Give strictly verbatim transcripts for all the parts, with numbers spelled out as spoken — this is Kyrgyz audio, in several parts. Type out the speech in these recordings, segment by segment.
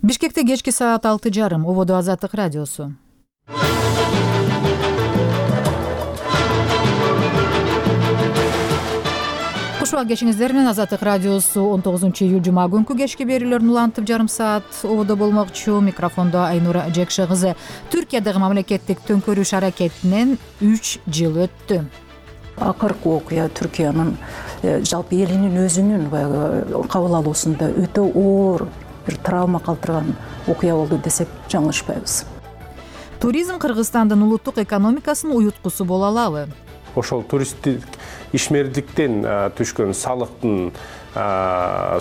Бишкекте кечки саат алты жарым. Ободо Азаттык радиосу. Кушуак кечиңиздер менен Азаттык радиосу он тогузунчу июль жума күнкү кечки берүүлөрүн улантып жарым саат ободо болмокчу. Микрофондо Айнура Жекше кызы. Түркиядагы мамлекеттик төңкөрүш аракетинен үч жыл өттү. Акыркы окуя Түркиянын жалпы элинин өзүнүн кабыл алуусунда өтө оор бир травма калтырган окуя болду десек жаңылышпайбыз. Туризм Кыргызстандын улуттук экономикасынын уюткусу боло алабы? Ошол туристтик ишмердиктен түшкөн салыктын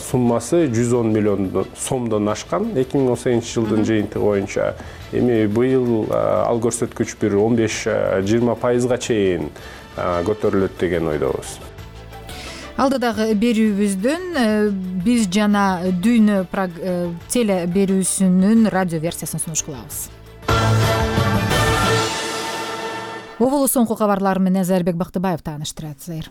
суммасы жүз он миллион сомдон ашкан эки миң он сегизинчи жылдын жыйынтыгы боюнча. Эми быйыл ал көрсөткүч бир он беш жыйырма пайызга чейин көтөрүлөт деген ойдобуз. Алдыдагы берүүбүздөн биз жана дүйнө теле берүүсүнүн радио версиясын сунуш кылабыз. Оболу соңку кабарлар менен Зайырбек Бактыбаев тааныштырат. Зайыр.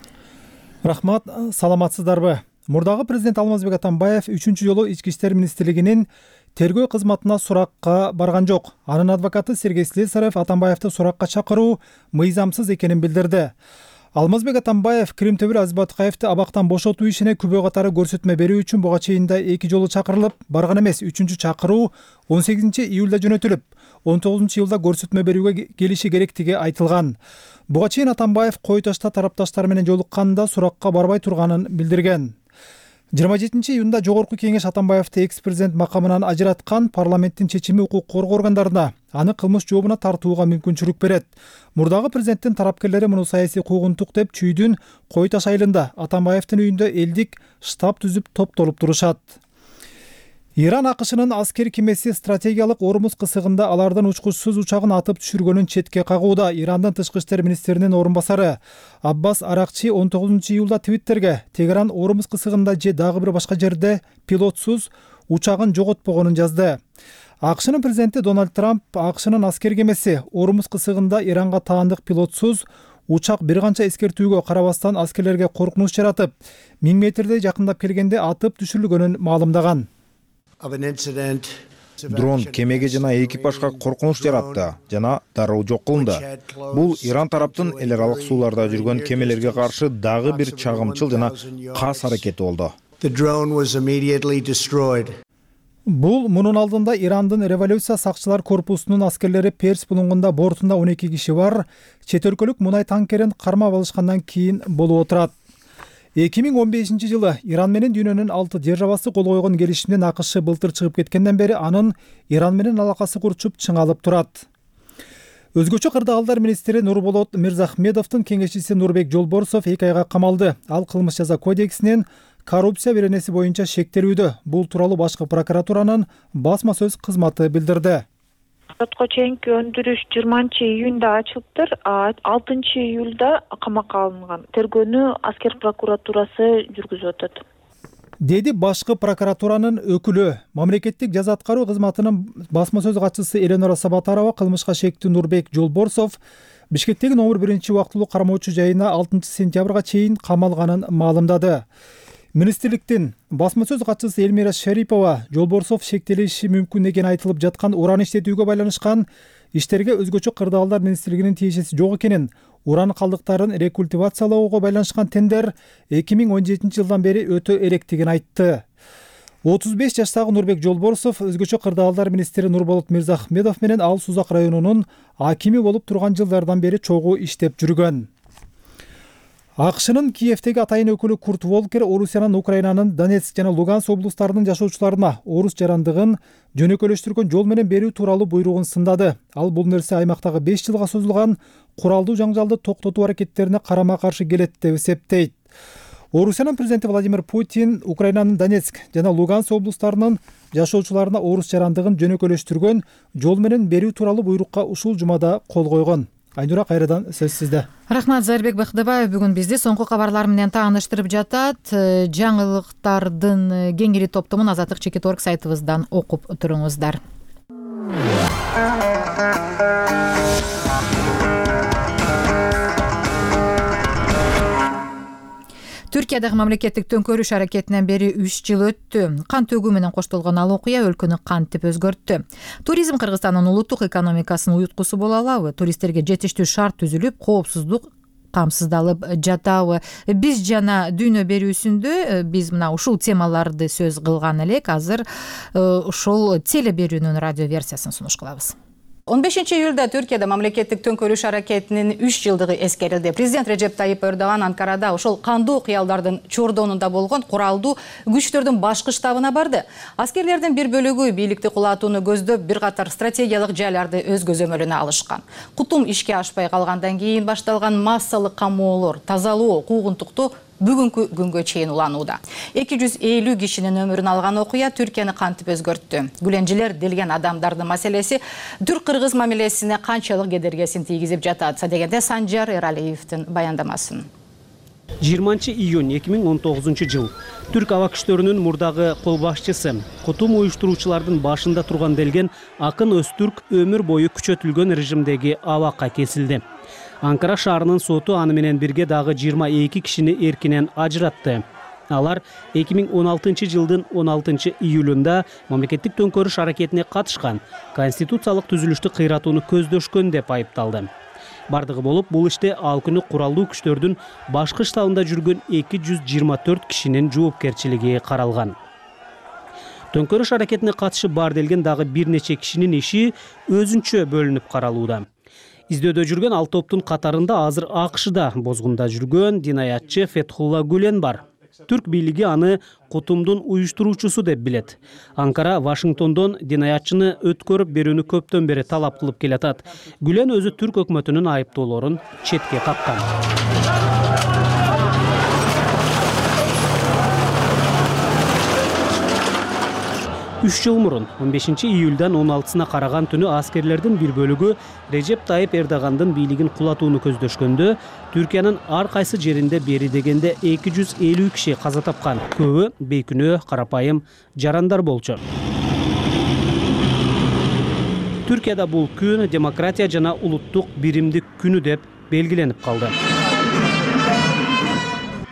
Рахмат, саламатсыздарбы? Мурдагы президент Алмазбек Атамбаев үчүнчү жолу Ички иштер министрлигинин тергөө кызматына суракка барган жок. Анын адвокаты Сергей Слесарев Атамбаевди суракка чакыруу мыйзамсыз экенин билдирди. Алмазбек Атамбаев Кримтөбүр Азбатыкаевди абактан бошотуу ишине күбө катары көрсөтмө берүү үчүн буга чейин да эки жолу чакырылып, барган эмес. Үчүнчү чакыруу он сегизинчи июлда жөнөтүлүп, он тогузунчу июлда көрсөтмө берүүгө келиши керектиги айтылган. Буга чейин Атамбаев кой ташта тарапташтар менен жолукканда суракка барбай турганын билдирген. жыйырма жетинчи июнда Жогорку кеңеш Атамбаевди экс-президент макамынан ажыраткан. Парламенттин чечими укук коргоо органдарына аны кылмыш жообуна тартууга мүмкүнчүлүк берет. Мурдагы президенттин тарапкерлери муну саясий куугунтук деп Чүйдүн Кой Таш айылында Атамбаевдин үйүндө элдик штаб түзүп топтолуп турушат. Иран АКШнын аскер кемеси стратегиялык Ормуз кысыгында алардын учкучсуз учагын атып түшүргөнүн четке кагууда. Ирандын тышкы иштер министринин орун басары Аббас Аракчи он тогузунчу июлда Твиттерге Тегеран Ормуз кысыгында же дагы бир башка жерде пилотсуз учагын жоготпогонун жазды. АКШнын президенти Дональд Трамп АКШнын аскер кемеси Ормуз кысыгында Иранга таандык пилотсуз учак бир канча эскертүүгө карабастан аскерлерге коркунуч жаратып, миң метрдей жакындап келгенде атып түшүрүлгөнүн маалымдаган. Дрон кемеге жана экипажга коркунуч жаратты жана дароо жок кылынды. Бул Иран тараптын эл аралык сууларда жүргөн кемелерге каршы дагы бир чагымчыл жана кас аракети болду. Бул мунун алдында Ирандын революция сакчылар корпусунун аскерлери Перс булуңунда бортунда он эки киши бар чет өлкөлүк мунай танкерин кармап алышкандан кийин болуп отурат. эки миң он бешинчи жылы Иран менен дүйнөнүн алты державасы кол койгон келишимден АКШ былтыр чыгып кеткенден бери анын Иран менен алакасы курчуп чыңалып турат. Өзгөчө кырдаалдар министри Нурболот Мирзахмедовдун кеңешчиси Нурбек Жолборсов эки айга камалды. Ал кылмыш жаза кодексинин коррупция беренеси боюнча шектелүүдө. Бул тууралуу башкы прокуратуранын басма сөз кызматы билдирди. Сотко чейинки өндүрүш жыйырманчы июнда ачылыптыр, алтынчы июлда камакка алынган. Тергөөнү аскер прокуратурасы жүргүзүп атат. Деди башкы прокуратуранын өкүлү. Мамлекеттик жаза аткаруу кызматынын басма сөз катчысы Эленора Сабатарова кылмышка шектүү Нурбек Жолборсов Бишкектеги номер биринчи убактылуу кармоочу жайына алтынчы сентябрга чейин камалганын маалымдады. Министрликтин басма сөз катчысы Элмира Шарипова Жолборсов шектелиши мүмкүн экени айтылып жаткан уран иштетүүгө байланышкан иштерге өзгөчө кырдаалдар министрлигинин тиешеси жок экенин, уран калдыктарын рекультивациялоого байланышкан тендер эки миң он жетинчи жылдан бери өтө электигин айтты. отуз беш жаштагы Нурбек Жолборсов өзгөчө кырдаалдар министри Нурболот Мирзахмедов менен ал Сузак районунун акими болуп турган жылдардан бери чогуу иштеп жүргөн. АКШнын Киевдеги атайын өкүлү Курт Волкер Орусиянын Украинанын Донецк жана Луганск облустарынын жашоочуларына орус жарандыгын жөнөкөйлөштүргөн жол менен берүү тууралуу буйругун сындады. Ал бул нерсе аймактагы беш жылга созулган куралдуу жаңжалды токтотуу аракеттерине карама каршы келет деп эсептейт. Орусиянын президенти Владимир Путин Украинанын Донецк жана Луганск облустарынын жашоочуларына орус жарандыгын жөнөкөйлөштүргөн жол менен берүү тууралуу буйрукка ушул жумада кол койгон. Айнура, кайрадан сөз сизде. Рахмат, Зайырбек Бактыбаев бүгүн бизди соңку кабарлар менен тааныштырып жатат. Жаңылыктардын кеңири топтомун азаттык чекит точка орг сайтыбыздан окуп туруңуздар. Түркиядагы мамлекеттик төңкөрүш аракетинен бери үч жыл өттү. Кан төгүү менен коштолгон ал окуя өлкөнү кантип өзгөрттү? Туризм Кыргызстандын улуттук экономикасынын уюткусу боло алабы? Туристтерге жетиштүү шарт түзүлүп, коопсуздук камсыздалып жатабы? Биз жана дүйнө берүүсүндө биз мына ушул темаларды сөз кылган элек. Азыр ошол теле берүүнүн радио версиясын сунуш кылабыз. он бешинчи июлда Түркияда мамлекеттик төңкөрүш аракетинин үч жылдыгы эскерилди. Президент Режеп Тайип Эрдоган Анкарада ошол кандуу кыялдардын чордонунда болгон куралдуу күчтөрдүн башкы штабына барды. Аскерлердин бир бөлүгү бийликти кулатууну көздөп бир катар стратегиялык жайларды өз көзөмөлүнө алышкан. Кутум ишке ашпай калгандан кийин башталган массалык камоолор, тазалоо, куугунтуктоо бүгүнкү күнгө чейин уланууда. эки жүз элүү кишинин өмүрүн алган окуя Түркияны кантип өзгөрттү? Гүленжилер делген адамдардын маселеси түрк-кыргыз мамилесине канчалык кедергесин тийгизип жатат дегенде Санжар Эралиевдин баяндамасын. жыйырманчы июнь эки миң он тогузунчу жыл түрк аба күчтөрүнүн мурдагы кол башчысы, кутум уюштуруучулардын башында турган делген Акын Өзтүрк өмүр бою күчөтүлгөн режимдеги абакка кесилди. Анкара шаарынын соту аны менен бирге дагы жыйырма эки кишини эркинен ажыратты. Алар эки миң он алтынчы жылдын он алтынчы июлунда мамлекеттик төңкөрүш аракетине катышкан, конституциялык түзүлүштү кыйратууну көздөшкөн деп айыпталды. Бардыгы болуп, бул иште ал күнү куралдуу күчтөрдүн башкы штабында жүргөн эки жүз жыйырма төрт кишинин жоопкерчилиги каралган. Төңкөрүш аракетине катышы бар делген дагы бир нече кишинин иши өзүнчө бөлүнүп каралууда. Издөөдө жүргөн ал топтун катарында азыр АКШда бозгунда жүргөн динаятчы Фетхулла Гүлен бар. Түрк бийлиги аны кутумдун уюштуруучусу деп билет. Анкара Вашингтондон динаятчыны өткөрүп берүүнү көптөн бери талап кылып келатат. Гүлен өзү түрк өкмөтүнүн айыптоолорун четке каккан. үч жыл мурун он бешинчи июлдан он алтысына караган түнү аскерлердин бир бөлүгү Режеп Тайип Эрдогандын бийлигин кулатууну көздөшкөндө Түркиянын ар кайсы жеринде бери дегенде эки жүз элүү киши каза тапкан. Көбү бейкүнөө, карапайым жарандар болчу. Түркияда бул күн демократия жана улуттук биримдик күнү деп белгиленип калды.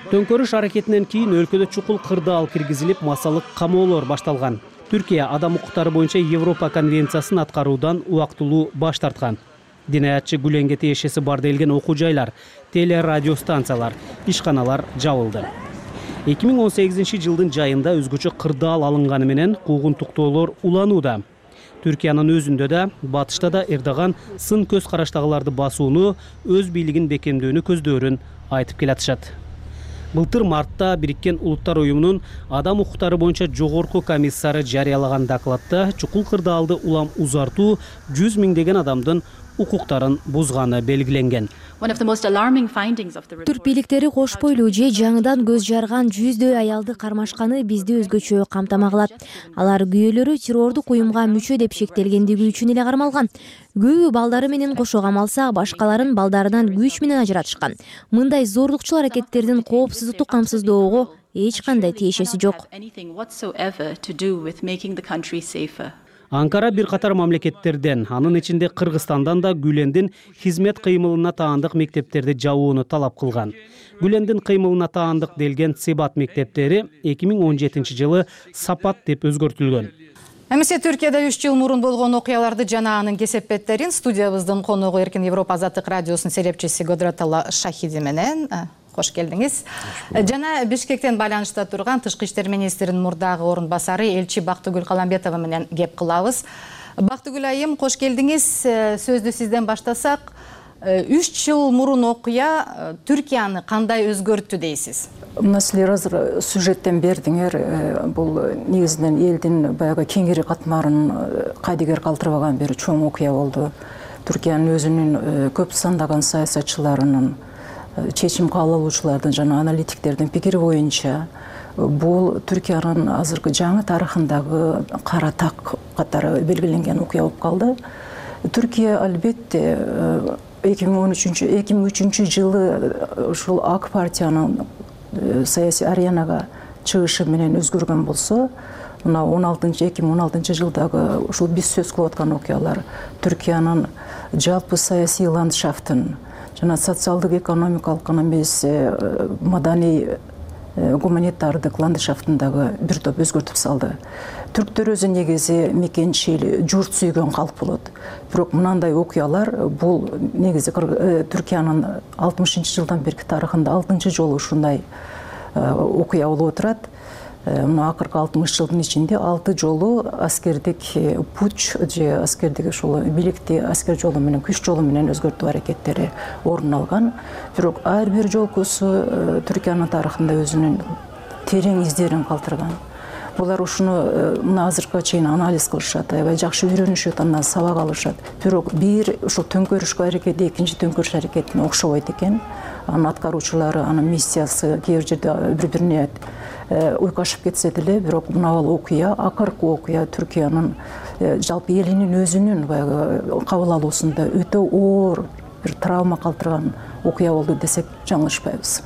Төңкөрүш аракетинен кийин өлкөдө чукул кырдаал киргизилип, массалык камоолор башталган. Түркия адам укуктары боюнча Европа конвенциясын аткаруудан убактылуу баш тарткан. Динаятчы Гүленге тиешеси бар делген окуу жайлар, теле радио станциялар, ишканалар жабылды. эки миң он сегизинчи жылдын жайында өзгөчө кырдаал алынганы менен куугунтуктоолор уланууда. Түркиянын өзүндө да, батышта да Эрдоган сын көз караштагыларды басууну, өз бийлигин бекемдөөнү көздөөрүн айтып келатышат. Былтыр мартта Бириккен Улуттар уюмунун адам укуктары боюнча жогорку комиссары жарыялаган докладта чукул кырдаалды улам узартуу жүз миңдеген адамдын укуктарын бузганы белгиленген. Түрк бийликтери кош бойлуу же жаңыдан көз жарган жүздөй аялды кармашканы бизди өзгөчө камтамагылат. Алар күйөөлөрү террордук уюмга мүчө деп шектелгендиги үчүн эле кармалган. Көбү балдары менен кошо камалса, башкаларын балдарынан күч менен ажыратышкан. Мындай зордукчул аракеттердин коопсуздукту камсыздоого эч кандай тиешеси жок. Анкара бир катар мамлекеттерден, анын ичинде Кыргызстандан да Гүлендин хизмет кыймылына таандык мектептерди жабууну талап кылган. Гүлендин кыймылына таандык делген Себат мектептери эки миң он жетинчи жылы Сапат деп өзгөртүлгөн. Эмесе Түркияда үч жыл мурун болгон окуяларды жана анын кесепеттерин студиябыздын коногу Эркин Европа Азаттык радиосунун серепчиси Годротала Шахиди менен кош келдиңиз. Жана Бишкектен байланышта турган Тышкы иштер министринин мурдагы орун басары элчи Бактыгүл Каламбетова менен кеп кылабыз. Бактыгүл айым, кош келдиңиз. Сөздү сизден баштасак, үч жыл мурун окуя Түркияны кандай өзгөрттү дейсиз? Мына силер азыр сюжеттен бердиңер, бул негизинен элдин баягы кеңири катмарын кайдыгер калтырбаган бир чоң окуя болду. Түркиянын өзүнүн көп сандаган саясатчыларынын, чечим кабыл алуучулардын жана аналитиктердин пикири боюнча бул Түркиянын азыркы жаңы тарыхындагы кара так катары белгиленген окуя болуп калды. Түркия албетте эки миң он үчүнчү эки миң үчүнчү жылы ушул ак партиянын саясий аренага чыгышы менен өзгөргөн болсо, мына он алтынчы эки миң он алтынчы жылдагы ушул биз сөз кылып аткан окуялар Түркиянын жалпы саясий ландшафтын жана социалдык экономикалык гана эмес маданий гуманитардык ландшафтындагы бир топ өзгөртүп салды. Түрктөр өзү негизи мекенчил, журт сүйгөн калк болот. Бирок мындай окуялар бул негизи Түркиянын алтымышынчы жылдан берки тарыхында алтынчы жолу ушундай окуя болуп отурат. Мына акыркы алтымыш жылдын ичинде алты жолу аскердик путч же аскердик ошол бийликти аскер жолу менен, күч жолу менен өзгөртүү аракеттери орун алган. Бирок ар бир жолкусу Түркиянын тарыхында өзүнүн терең издерин калтырган. Булар ушуну мына азыркыга чейин анализ кылышат, аябай жакшы үйрөнүшөт, андан сабак алышат. Бирок бир ушул төңкөрүшкө аракети экинчи төңкөрүш аракетине окшобойт экен. Анын аткаруучулары, анын миссиясы кээ бир жерде бири-бирине уйкашып кетсе деле, бирок мына бул окуя, акыркы окуя Түркиянын жалпы элинин өзүнүн баягы кабыл алуусунда өтө оор бир травма калтырган окуя болду десек жаңылышпайбыз.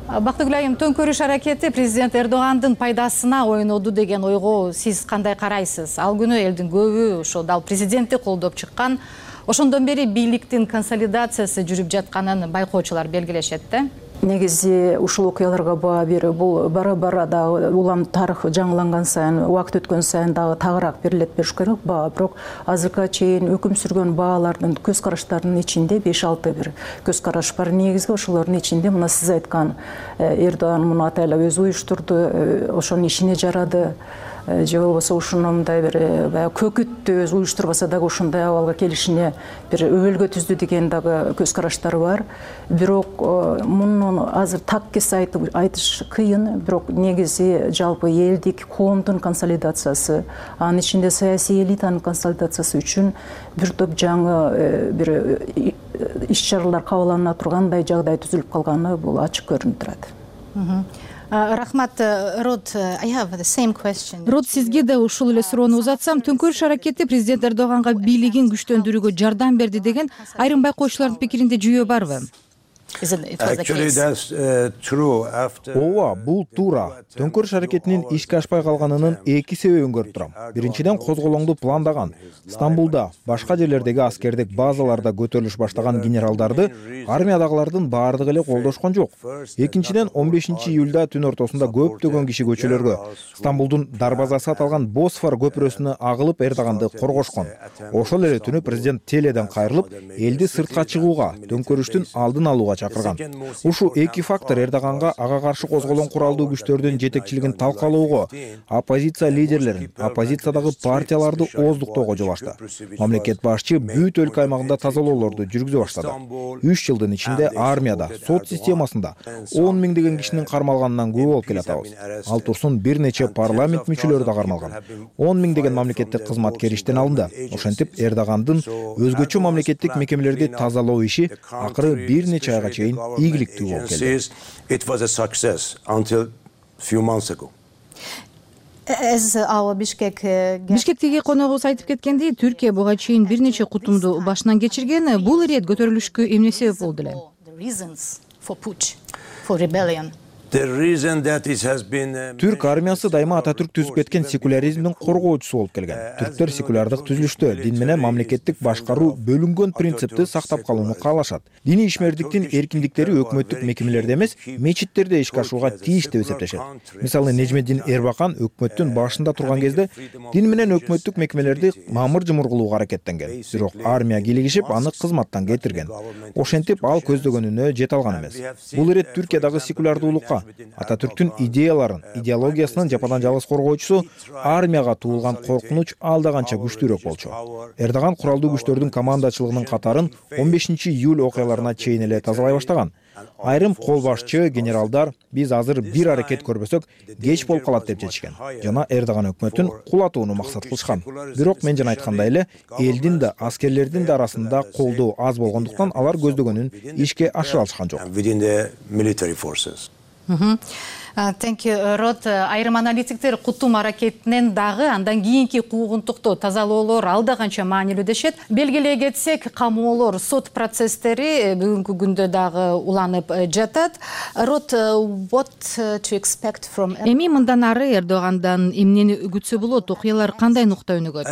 Бактыгүл айым, төңкөрүш аракети президент Эрдогандын пайдасына ойноду деген ойго сиз кандай карайсыз? Ал күнү элдин көбү ошо дал президентти колдоп чыккан. Ошондон бери бийликтин консолидациясы жүрүп жатканын байкоочулар белгилешет да. Негизи ушул окуяларга баа берүү бул бара-бара дагы улам тарых жаңыланган сайын, убакыт өткөн сайын дагы тагыраак берилет бериш керек баа. Бирок азыркыга чейин өкүм сүргөн баалардын көз караштарынын ичинде беш алты бир көз караш бар. Негизги ошолордун ичинде мына сиз айткан Эрдоган муну атайлап өзү уюштурду, ошонун ишине жарады. Же болбосо ушуну мындай бир баягы көкүттү өзү уюштурбаса дагы ушундай абалга келишине бир өбөлгө түздү деген дагы көз караштар бар. Бирок муну азыр так кес айтып айтыш кыйын, бирок негизи жалпы элдик коомдун консолидациясы, анын ичинде саясий элитанын консолидациясы үчүн бир топ жаңы бир иш-чаралар кабыл алына тургандай жагдай түзүлүп калганы бул ачык көрүнүп турат. Рахмат, Род, I have the same question. Род, сизге да ушул эле суроону узатсам, төңкөрүш аракети президент Эрдоганга бийлигин күчтөндүрүүгө жардам берди деген айрым байкоочулардын пикиринде жүйө барбы? Ооба, бул туура. Төңкөрүш аракетинин ишке ашпай калганынын эки себебин көрүп турам. Биринчиден, козголоңду пландаган, Стамбулда, башка жерлердеги аскердик базаларда көтөрүлүш баштаган генералдарды армиядагылардын баардыгы эле колдошкон жок. Экинчиден, он бешинчи июлда түн ортосунда көптөгөн киши көчөлөргө, Стамбулдун дарбазасы аталган Босфор көпүрөсүнө агылып Эрдоганды коргошкон. Ошол эле түнү президент теледен кайрылып, элди сыртка чыгууга, төңкөрүштүн алдын алууга чакырган. Ушул эки фактор Эрдоганга ага каршы козголгон куралдуу күчтөрдүн жетекчилигин талкалоого, оппозиция лидерлерин, оппозициядагы партияларды ооздуктоого жол ачты. Мамлекет башчы бүт өлкө аймагында тазалоолорду жүргүзө баштады. үч жылдын ичинде армияда, сот системасында он миңдеген кишинин кармалганынан күбө болуп келатабыз. Ал турсун бир нече парламент мүчөлөрү да кармалган. он миңдеген мамлекеттик кызматкер иштен алынды. Ошентип Эрдогандын өзгөчө мамлекеттик мекемелерди тазалоо иши акыры бир нече айга чейин ийгиликтүү болуп келди. Бишкектеги коногубуз айтып кеткендей, Түркия буга чейин бир нече кутумду башынан кечирген. Бул ирет көтөрүлүшкө эмне себеп болду эле? Түрк армиясы дайыма Ататүрк түзүп кеткен секуляризмдин коргоочусу болуп келген. Түрктөр секулярдык түзүлүштө дин менен мамлекеттик башкаруу бөлүнгөн принципти сактап калууну каалашат. Диний ишмердиктин эркиндиктери өкмөттүк мекемелерде эмес, мечиттерде ишке ашууга тийиш деп эсептешет. Мисалы, Нежмедин Эрбакан өкмөттүн башында турган кезде дин менен өкмөттүк мекемелерди мамыр-жымыр кылууга аракеттенген. Бирок армия кийлигишип, аны кызматтан кетирген. Ошентип, ал көздөгөнүнө жете алган эмес. Бул ирет Түркиядагы секулярдуулукка, Ататүрктүн идеяларын, идеологиясынын жападан жалгыз коргоочусу армияга туулган коркунуч алда канча күчтүүрөөк болчу. Эрдоган куралдуу күчтөрдүн командачылыгынын катарын он бешинчи июль окуяларына чейин эле тазалай баштаган. Айрым кол башчы, генералдар биз азыр бир аракет көрбөсөк кеч болуп калат деп чечишкен. Жана Эрдоган өкмөтүн кулатууну максат кылышкан. Бирок мен жана айткандай эле, элдин да, аскерлердин да арасында колдоо аз болгондуктан алар көздөгөнүн ишке ашыра алышкан жок. Thank you, Род. Айрым аналитиктер кутум аракетинен дагы андан кийинки куугунтукту тазалоолор алда канча маанилүү дешет. Белгилей кетсек, камоолор, сот процесстери бүгүнкү күндө дагы уланып жатат. Род, what to expect from Эми мындан ары Эрдогандан эмнени күтсө болот? Окуялар кандай нукта өнүгөт?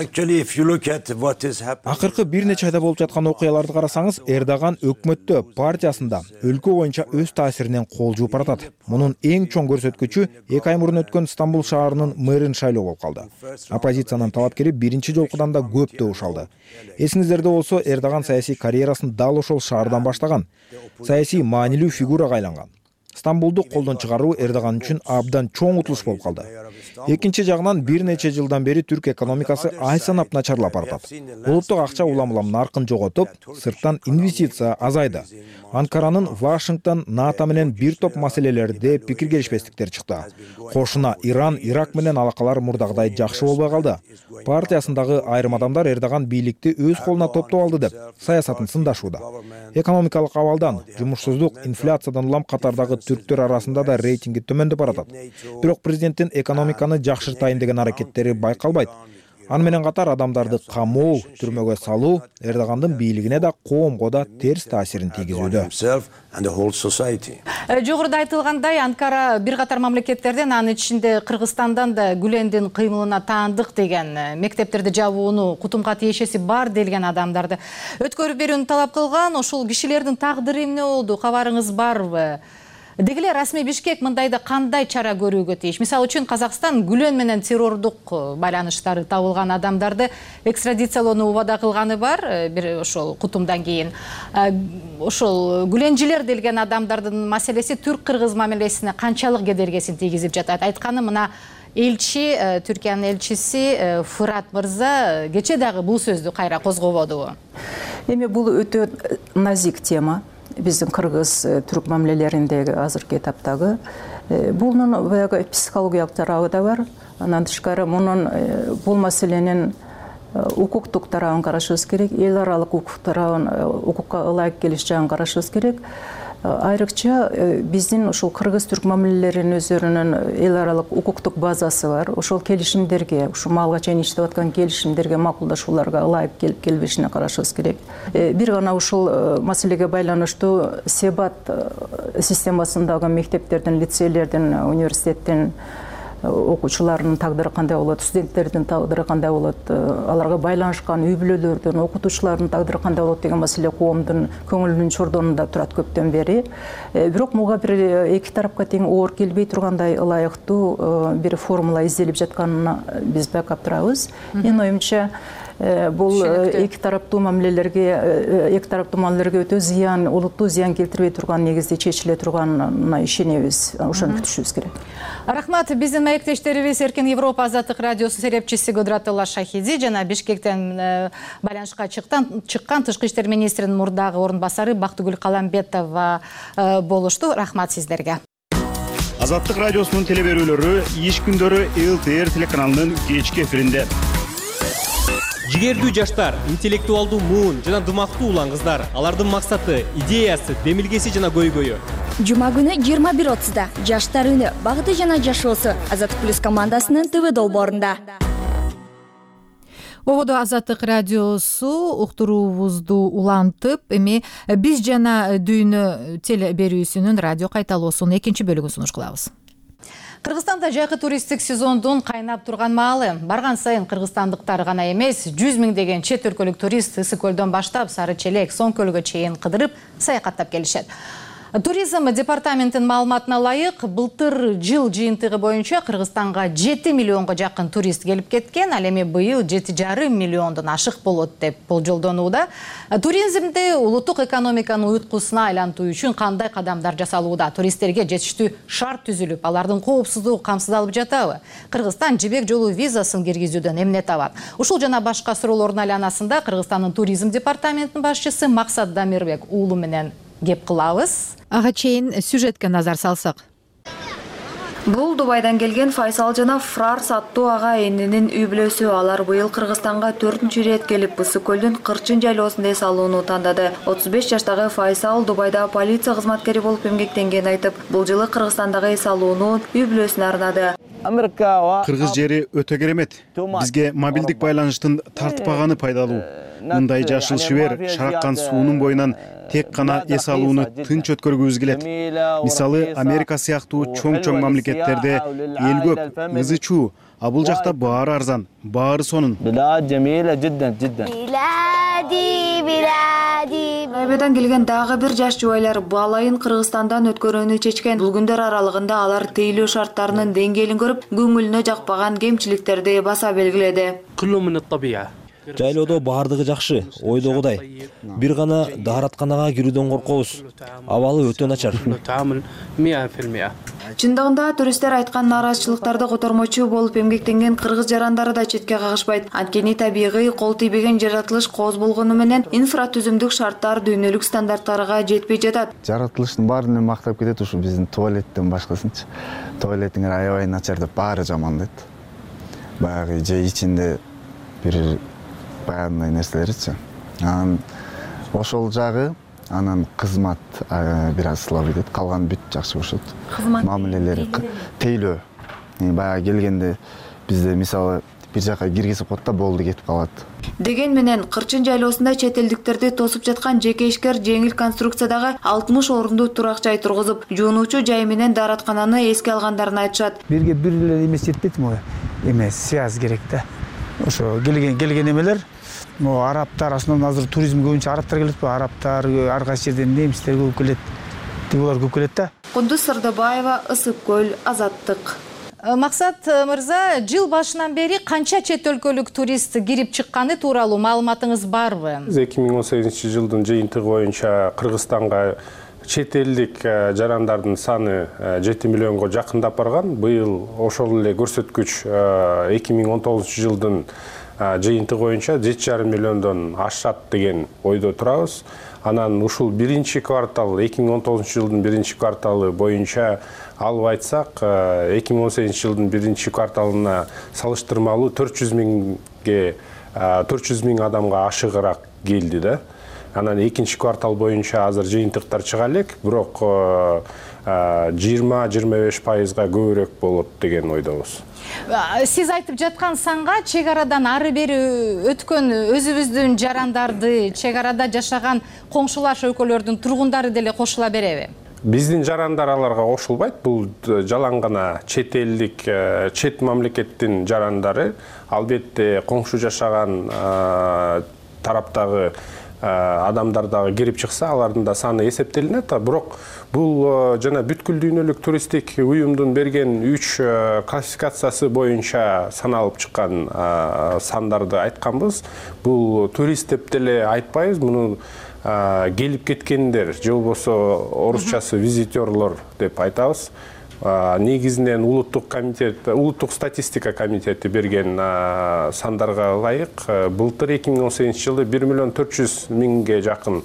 Акыркы бир нече айда болуп жаткан окуяларды карасаңыз, Эрдоган өкмөттө, партиясында өлкө боюнча өз таасиринен кол жууп баратат. Мунун эң чоң көрсөткүчү эки ай мурун өткөн Стамбул шаарынын мэрин шайлоо болуп калды. Оппозициянын талапкери биринчи жолкудан да көп добуш алды. Эсиңиздерде болсо, Эрдоган саясий карьерасын дал ошол шаардан баштаган. Саясий маанилүү фигурага айланган. Стамбулду колдон чыгаруу Эрдоган үчүн абдан чоң утулуш болуп калды. Экинчи жагынан бир нече жылдан бери түрк экономикасы ай санап начарлап баратат. Улуттук акча улам-улам наркын жоготуп, сырттан инвестиция азайды. Анкаранын Вашингтон, НАТО менен бир топ маселелерде пикир келишпестиктер чыкты. Кошуна Иран, Ирак менен алакалар мурдагыдай жакшы болбой калды. Партиясындагы айрым адамдар Эрдоган бийликти өз колуна топтоп алды деп саясатын сындашууда. Экономикалык абалдан, жумушсуздук, инфляциядан улам катардагы түрктөр арасында да рейтинги төмөндөп баратат. Бирок президенттин экономиканы жакшыртайын деген аракеттери байкалбайт. Аны менен катар адамдарды камоо, түрмөгө салуу Эрдогандын бийлигине да, коомго да терс таасирин тийгизүүдө. Жогоруда айтылгандай, Анкара бир катар мамлекеттерден, анын ичинде Кыргызстандан да Гүлендин кыймылына таандык деген мектептерди жабууну кутумга тиешеси бар делген адамдарды өткөрүп берүүнү талап кылган. Ошол кишилердин тагдыры эмне болду? Кабарыңыз барбы? Дегиле расмий Бишкек мындайда кандай чара көрүүгө тийиш? Мисалы үчүн Казакстан Гүлен менен террордук байланыштары табылган адамдарды экстрадициялоону убада кылганы бар, бир ошол кутумдан кийин. Ошол Гүленжилер делген адамдардын маселеси түрк-кыргыз мамилесине канчалык кедергесин тийгизип жатат? Айтканы мына элчи, Түркиянын элчиси Фырат мырза кече дагы бул сөздү кайра козгободубу? Эми бул өтө назик тема. Биздин кыргыз түрк мамилелериндеги азыркы этаптагы бунун баягы психологиялык тарабы да бар. Андан тышкары мунун бул маселенин укуктук тарабын карашыбыз керек, эл аралык укук тарабын, укукка ылайык келиш жагын карашыбыз керек. Айрыкча биздин ошол кыргыз түрк мамилелеринин өздөрүнүн эл аралык укуктук базасы бар. Ошол келишимдерге, ушул малга чейин иштеп аткан келишимдерге, макулдашууларга ылайык келип келбешине карашыбыз керек. Бир гана ушул маселеге байланыштуу Себат системасындагы мектептердин, лицейлердин, университеттин окуучуларынын тагдыры кандай болот, студенттердин тагдыры кандай болот, аларга байланышкан үй бүлөлөрдүн, окутуучулардын тагдыры кандай болот деген маселе коомдун көңүлүнүн чордонунда турат көптөн бери. Бирок муга бир эки тарапка тең оор келбей тургандай ылайыктуу бир формула изделип жатканына биз байкап турабыз. Менин оюмча, бул эки тараптуу мамилелерге, эки тараптуу мамилелерге өтө зыян, олуттуу зыян келтирбей турган негизде чечиле турганына ишенебиз. Ошону күтүшүбүз керек. Рахмат. Биздин маектештерибиз Эркин Европа азаттык радиосу серепчиси Гудратулла Шахиди жана Бишкектен байланышка чыккан тышкы иштер министринин мурдагы орун басары Бактыгүл Каламбетова болушту. Рахмат сиздерге. Азаттык радиосунун телеберүүлөрү иш күндөрү эл тэ эр телеканалынын кечки эфиринде. Жигердүү жаштар, интеллектуалдуу муун жана дымактуу улан кыздар, алардын максаты, идеясы, демилгеси жана көйгөйү. Жума күнү жыйырма бир отузда жаштар үнү, багыты жана жашоосу Азаттык плюс командасынын ТВ долбоорунда. Ободо Азаттык радиосу уктуруубузду улантып, эми биз жана дүйнө теле берүүсүнүн радио кайталоосунун экинчи бөлүгүн сунуш кылабыз. Кыргызстанда жайкы туристтик сезондун кайнап турган маалы. Барган сайын кыргызстандыктар гана эмес, жүз миңдеген чет өлкөлүк турист Ысык көлдөн баштап Сары Челек, Соң көлгө чейин кыдырып, саякаттап келишет. Туризм департаментинин маалыматына ылайык, былтыр жыл жыйынтыгы боюнча Кыргызстанга жети миллионго жакын турист келип кеткен, ал эми быйыл жети жарым миллиондон ашык болот деп болжолдонууда. Туризмди улуттук экономиканын уюткусуна айлантуу үчүн кандай кадамдар жасалууда? Туристтерге жетиштүү шарт түзүлүп, алардын коопсуздугу камсыздалып жатабы? Кыргызстан жибек жолу визасын киргизүүдөн эмне табат? Ушул жана башка суроолордун айланасында Кыргызстандын туризм департаментинин башчысы Максат Дамирбек уулу менен кеп кылабыз. Ага чейин сюжетке назар салсак. Бул Дубайдан келген Файсал жана Фрарс аттуу ага энинин үй бүлөсү. Алар быйыл Кыргызстанга төртүнчү ирет келип, Ысык көлдүн Кырчын жайлоосунда эс алууну тандады. отуз беш жаштагы Файсал Дубайда полиция кызматкери болуп эмгектенгенин айтып, бул жылы Кыргызстандагы эс алууну үй бүлөсүнө арнады. Кыргыз жери өтө керемет. Бизге мобилдик байланыштын тартпаганы пайдалуу. мындай жашыл шибер шараккан суунун боюнан тек гана эс алууну тынч өткөргүбүз келет. Мисалы, Америка сыяктуу чоң-чоң мамлекеттерде эл көп, ызы чуу, а бул жакта баары арзан, баары сонун. Айбадан келген дагы бир жаш жубайлар балайын Кыргызстандан өткөрүүнү чечкен. Бул күндөр аралыгында алар тейлөө шарттарынын деңгээлин көрүп, көңүлүнө жакпаган кемчиликтерди баса белгиледи. Жайлоодо баардыгы жакшы, ойдогудай. Бир гана дааратканага кирүүдөн коркобуз. Абалы өтө начар. Чындыгында туристтер айткан нааразычылыктарды котормочу болуп эмгектенген кыргыз жарандары да четке кагышпайт. Анткени табигый кол тийбеген жаратылыш кооз болгону менен инфратүзүмдүк шарттар дүйнөлүк стандарттарга жетпей жатат. Жаратылыштын баарын мактап кетет ушу биздин туалеттен башкасынчы. Туалетиңер аябай начар деп баары жамандайт. Баягы же ичинде бир баягындай нерселерчи. Анан ошол жагы анан кызмат бир аз слабый дейт, калган бүт жакшы болушот. Мамилелери тейлөө. Баягы келгенде бизде мисалы бир жака киргизип коет да болду кетип калат. Деген менен Кырчын жайлоосунда чет элдиктерди тосуп жаткан жеке ишкер жеңил конструкциядагы алтымыш орундуу турак жай тургузуп, жуунуучу жай менен даараткананы эске алгандарын айтышат. Бирге бир эле эмес жетпейт му? Эмес, связь керек да. Ошо келген келген эмелер Mo Araplar aslında hazır turizm көбүнчө Araplar келет bu Araplar ар кайсы жерден немистер көп келет. Тигулар көп келет да. Кундуз Сырдыбаева, Ысык көл, Азаттык. Максат мырза, жыл башынан бери канча чет өлкөлүк турист кирип чыкканы тууралуу маалыматыңыз барбы? эки миң он сегизинчи жылдын жыйынтыгы боюнча Кыргызстанга чет элдик жарандардын саны жети миллионго жакындап барган. Быйыл ошол эле көрсөткүч эки миң он тогузунчу жылдын жыйынтыгы боюнча жети жарым миллиондон ашат деген ойдо турабыз. Анан ушул биринчи квартал, эки миң он тогузунчу жылдын биринчи кварталы боюнча алып айтсак, эки миң он сегизинчи жылдын биринчи кварталына салыштырмалуу төрт жүз миңге төрт жүз миң адамга ашыгыраак келди да. Анан экинчи квартал боюнча азыр жыйынтыктар чыга элек, бирок жыйырма жыйырма беш пайызга көбүрөөк болот деген ойдобуз. Сиз айтып жаткан санга чек арадан ары бери өткөн өзүбүздүн жарандарды, чек арада жашаган коңшулаш өлкөлөрдүн тургундары деле кошула береби? Биздин жарандар аларга кошулбайт. Бул жалаң гана чет элдик, чет мамлекеттин жарандары. Албетте коңшу жашаган тараптагы адамдар дагы кирип чыкса, алардын да саны эсептелинет. Бирок бул жана бүткүл дүйнөлүк туристтик уюмдун берген үч классификациясы боюнча саналып чыккан сандарды айтканбыз. Бул турист деп деле айтпайбыз, муну келип кеткендер, же болбосо орусчасы визитерлор деп айтабыз. Негизинен улуттук комитет, улуттук статистика комитети берген сандарга ылайык былтыр эки миң он сегизинчи жылы бир миллион төрт жүз миңге жакын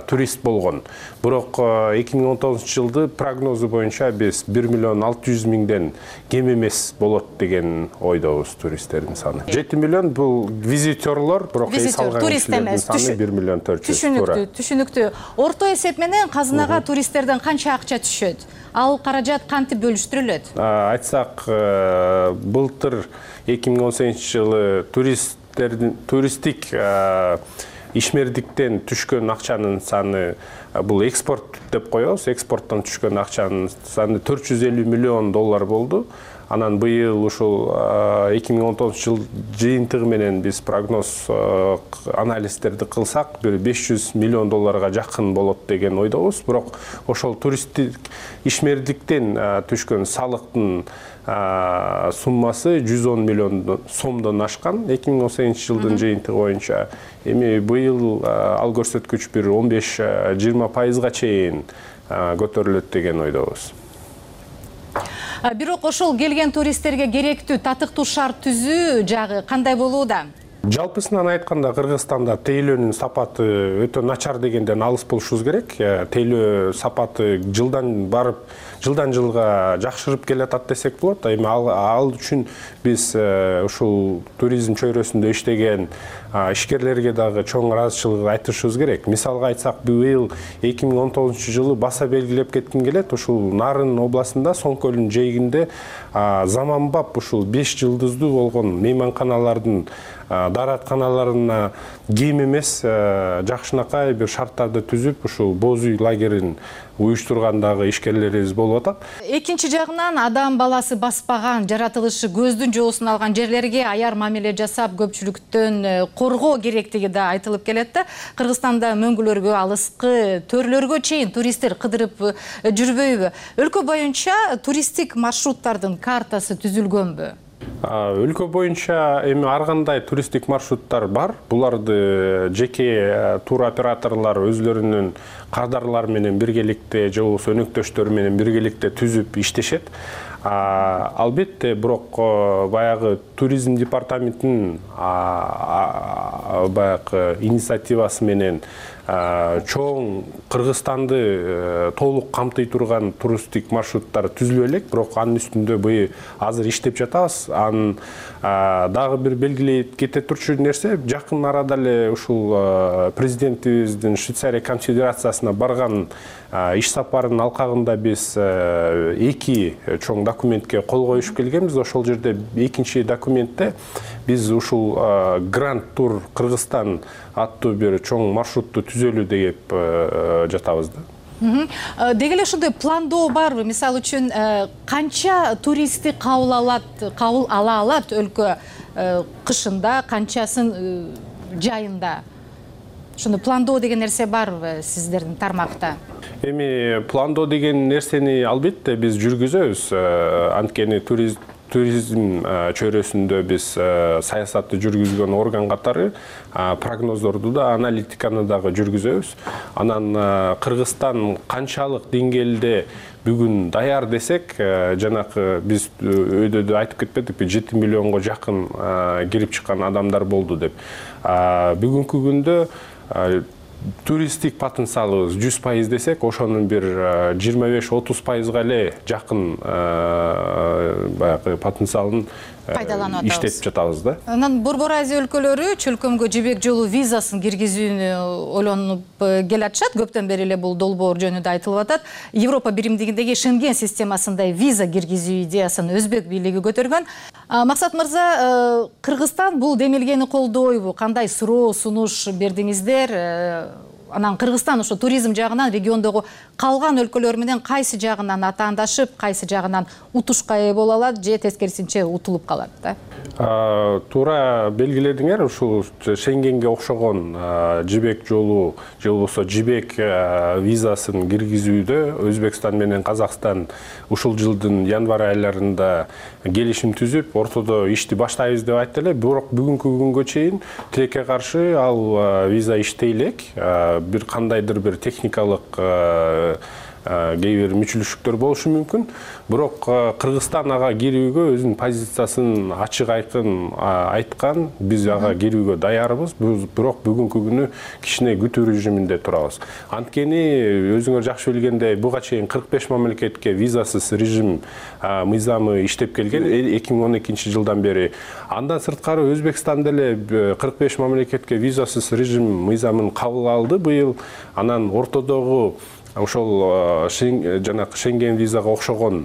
турист болгон. Бирок эки миң он тогузунчу жылды прогнозу боюнча биз бир миллион алты жүз миңден кем эмес болот деген ойдобуз туристтердин саны. жети миллион бул визитерлор, бирок эс алган кишилердин саны бир миллион төрт жүз. Түшүнүктүү, түшүнүктүү. Орто эсеп менен казынага туристтерден канча акча түшөт? Ал каражат кантип бөлүштүрүлөт? Айтсак, былтыр эки миң он сегизинчи жылы туристтердин туристтик ишмердиктен түшкөн акчанын саны, бул экспорт деп коебуз, экспорттон түшкөн акчанын саны төрт жүз элүү миллион доллар болду. Анан быйыл ушул эки миң он тогузунчу жыл жыйынтыгы менен биз прогноз анализдерди кылсак, бир беш жүз миллион долларга жакын болот деген ойдобуз. Бирок ошол туристтик ишмердиктен түшкөн салыктын суммасы жүз он миллион сомдон ашкан эки миң он сегизинчи жылдын жыйынтыгы боюнча. Эми быйыл ал көрсөткүч бир он беш жыйырма пайызга чейин көтөрүлөт деген ойдобуз. Бирок ошол келген туристтерге керектүү татыктуу шарт түзүү жагы кандай болууда? Жалпысынан айтканда Кыргызстанда тейлөөнүн сапаты өтө начар дегенден алыс болушубуз керек. Тейлөө сапаты жылдан барып, жылдан жылга жакшырып келатат десек болот. Эми ал үчүн биз ушул туризм чөйрөсүндө иштеген ишкерлерге дагы чоң ыраазычылык айтышыбыз керек. Мисалга айтсак, быйыл эки миң он тогузунчу жылы баса белгилеп кетким келет. Ушул Нарын областында, Соң көлүнүн жээгинде заманбап ушул беш жылдыздуу болгон мейманканалардын дааратканаларына кем эмес жакшынакай бир шарттарды түзүп ушул боз үй лагерин уюштургандагы ишкерлерибиз болуп атат. Экинчи жагынан адам баласы баспаган, жаратылышы көздүн жоосун алган жерлерге аяр мамиле жасап көпчүлүктөн коргоо керектиги да айтылып келет да. Кыргызстанда мөңгүлөргө, алыскы төрлөргө чейин туристтер кыдырып жүрбөйбү? Өлкө боюнча туристтик маршруттардын картасы түзүлгөнбү? Өлкө боюнча эми ар кандай туристтик маршруттар бар. Буларды жеке туроператорлор өзлөрүнүн кардарлары менен биргеликте же болбосо өнөктөштөрү менен биргеликте түзүп иштешет. Албетте, бирок баягы туризм департаментинин баягы инициативасы менен чоң Кыргызстанды толук камтый турган туристтик маршруттар түзүлө элек, бирок анын үстүндө быйыл азыр иштеп жатабыз. Анын дагы бир белгилей кете турчу нерсе, жакын арада эле ушул президентибиздин Швейцария конфедерациясына барган иш сапарынын алкагында биз эки чоң документке кол коюшуп келгенбиз. Ошол жерде экинчи документте биз ушул Гранд Тур Кыргызстан аттуу бир чоң маршрутту түзөлү деп жатабыз да. Деги эле ушундай пландоо барбы? Мисалы үчүн канча туристти кабыл алат, кабыл ала алат өлкө кышында, канчасын жайында? Ушуну пландоо деген нерсе барбы сиздердин тармакта? Эми пландоо деген нерсени албетте биз жүргүзөбүз. Анткени туризм туризм чөйрөсүндө биз саясатты жүргүзгөн орган катары прогноздорду да, аналитиканы дагы жүргүзөбүз. Анан Кыргызстан канчалык деңгээлде бүгүн даяр десек, жанакы биз өйдөдө айтып кетпедикпи, жети миллионго жакын кирип чыккан адамдар болду деп. Бүгүнкү күндө туристтик потенциалыбыз жүз пайыз десек, ошонун бир жыйырма беш отуз пайызга эле жакын баягы потенциалын пайдаланып иштеп жатабыз да. Анан Борбор Азия өлкөлөрү чөлкөмгө жибек жолу визасын киргизүүнү ойлонуп келатышат. Көптөн бери эле бул долбоор жөнүндө айтылып атат. Европа биримдигиндеги Шенген системасындай виза киргизүү идеясын өзбек бийлиги көтөргөн. Максат мырза, Кыргызстан бул демилгени колдойбу? Кандай суроо, сунуш бердиңиздер? Анан Кыргызстан ошо туризм жагынан региондогу калган өлкөлөр менен кайсы жагынан атаандашып, кайсы жагынан утушка ээ боло алат же тескерисинче утулуп калат да? Туура белгиледиңер, ушул Шенгенге окшогон жибек жолу же болбосо жибек визасын киргизүүдө Өзбекстан менен Казакстан ушул жылдын январь айларында келишим түзүп, ортодо ишти баштайбыз деп айтты эле. Бирок бүгүнкү күнгө чейин тилекке каршы ал виза иштей элек. Бир кандайдыр бир техникалык кээ бир мүчүлүштүктөр болушу мүмкүн. Бирок Кыргызстан ага кирүүгө өзүнүн позициясын ачык айкын айткан. Биз ага кирүүгө даярбыз. Бирок бүгүнкү күнү кичине күтүү режиминде турабыз. Анткени өзүңөр жакшы билгендей, буга чейин кырк беш мамлекетке визасыз режим мыйзамы иштеп келген эки миң он экинчи жылдан бери. Андан сырткары Өзбекстан деле кырк беш мамлекетке визасыз режим мыйзамын кабыл алды быйыл. Анан ортодогу ошол жанакы Шенген визага окшогон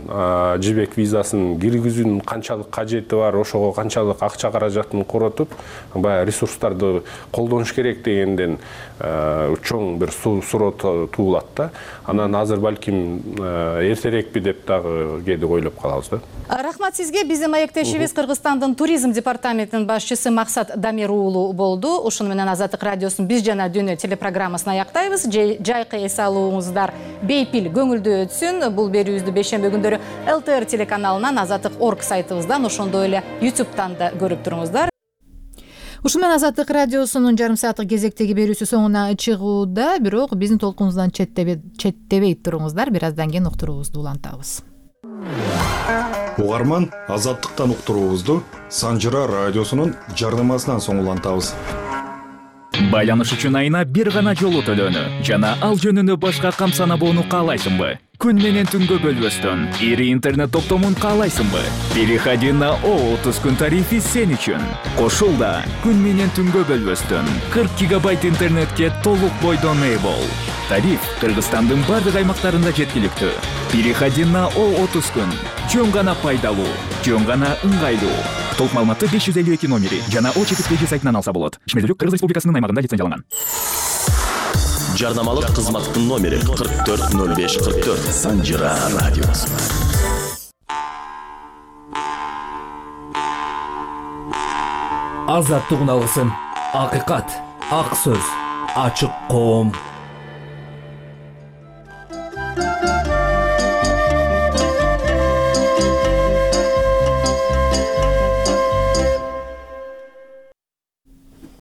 жибек визасын киргизүүнүн канчалык кажети бар, ошого канчалык акча каражатын коротуп, баягы ресурстарды колдонуш керек дегенден чоң бир суроо туулат да. Анан азыр балким эртерекпи деп дагы кээде ойлоп калабыз да. Рахмат сизге. Биздин маектешибиз Кыргызстандын туризм департаментинин башчысы Максат Дамир уулу болду. Ушуну менен Азаттык радиосунун Биз жана дүйнө телепрограммасын аяктайбыз. Жайкы эс алууңуздар бейпил көңүлдүү өтсүн. Бул берүүбүздү бейшемби күндөрү эл тэ эр телеканалынан, Азаттык точка орг сайтыбыздан, ошондой эле ютубтан да көрүп туруңуздар. Ушун менен Азаттык радиосунун жарым сааттык кезектеги берүүсү соңуна чыгууда, бирок биздин толкунубуздан четтебей туруңуздар. Бир аздан кийин уктуруубузду улантабыз. Угарман, Азаттыктан уктуруубузду Санжыра радиосунун жарнамасынан соң улантабыз. Байланыш үчүн айына бир гана жолу төлөнү жана ал жөнүндө башка кам санабоону каалайсыңбы? Күн менен түнгө бөлбөстөн ири интернет топтомун каалайсыңбы? Переходи на О отуз күн тарифи сен үчүн. Кошул да күн менен түнгө бөлбөстөн кырк гигабайт интернетке толук бойдон ээ бол. Тариф Кыргызстандын бардык аймактарында жеткиликтүү. Переходи на О отуз күн. Жөн гана пайдалуу, жөн гана ыңгайлуу. толук маалыматты беш жүз элүү эки номери жана о чекиткеji сайтынан алса болот. Ишмердүүлүк Кыргыз Республикасынын аймагында лицензияланган. Жарнамалык кызматтын номери кырк төрт ноль беш кырк төрт. Санжира радиосу. Азаттык үн алгысым, акыйкат, ак сөз, ачык коом.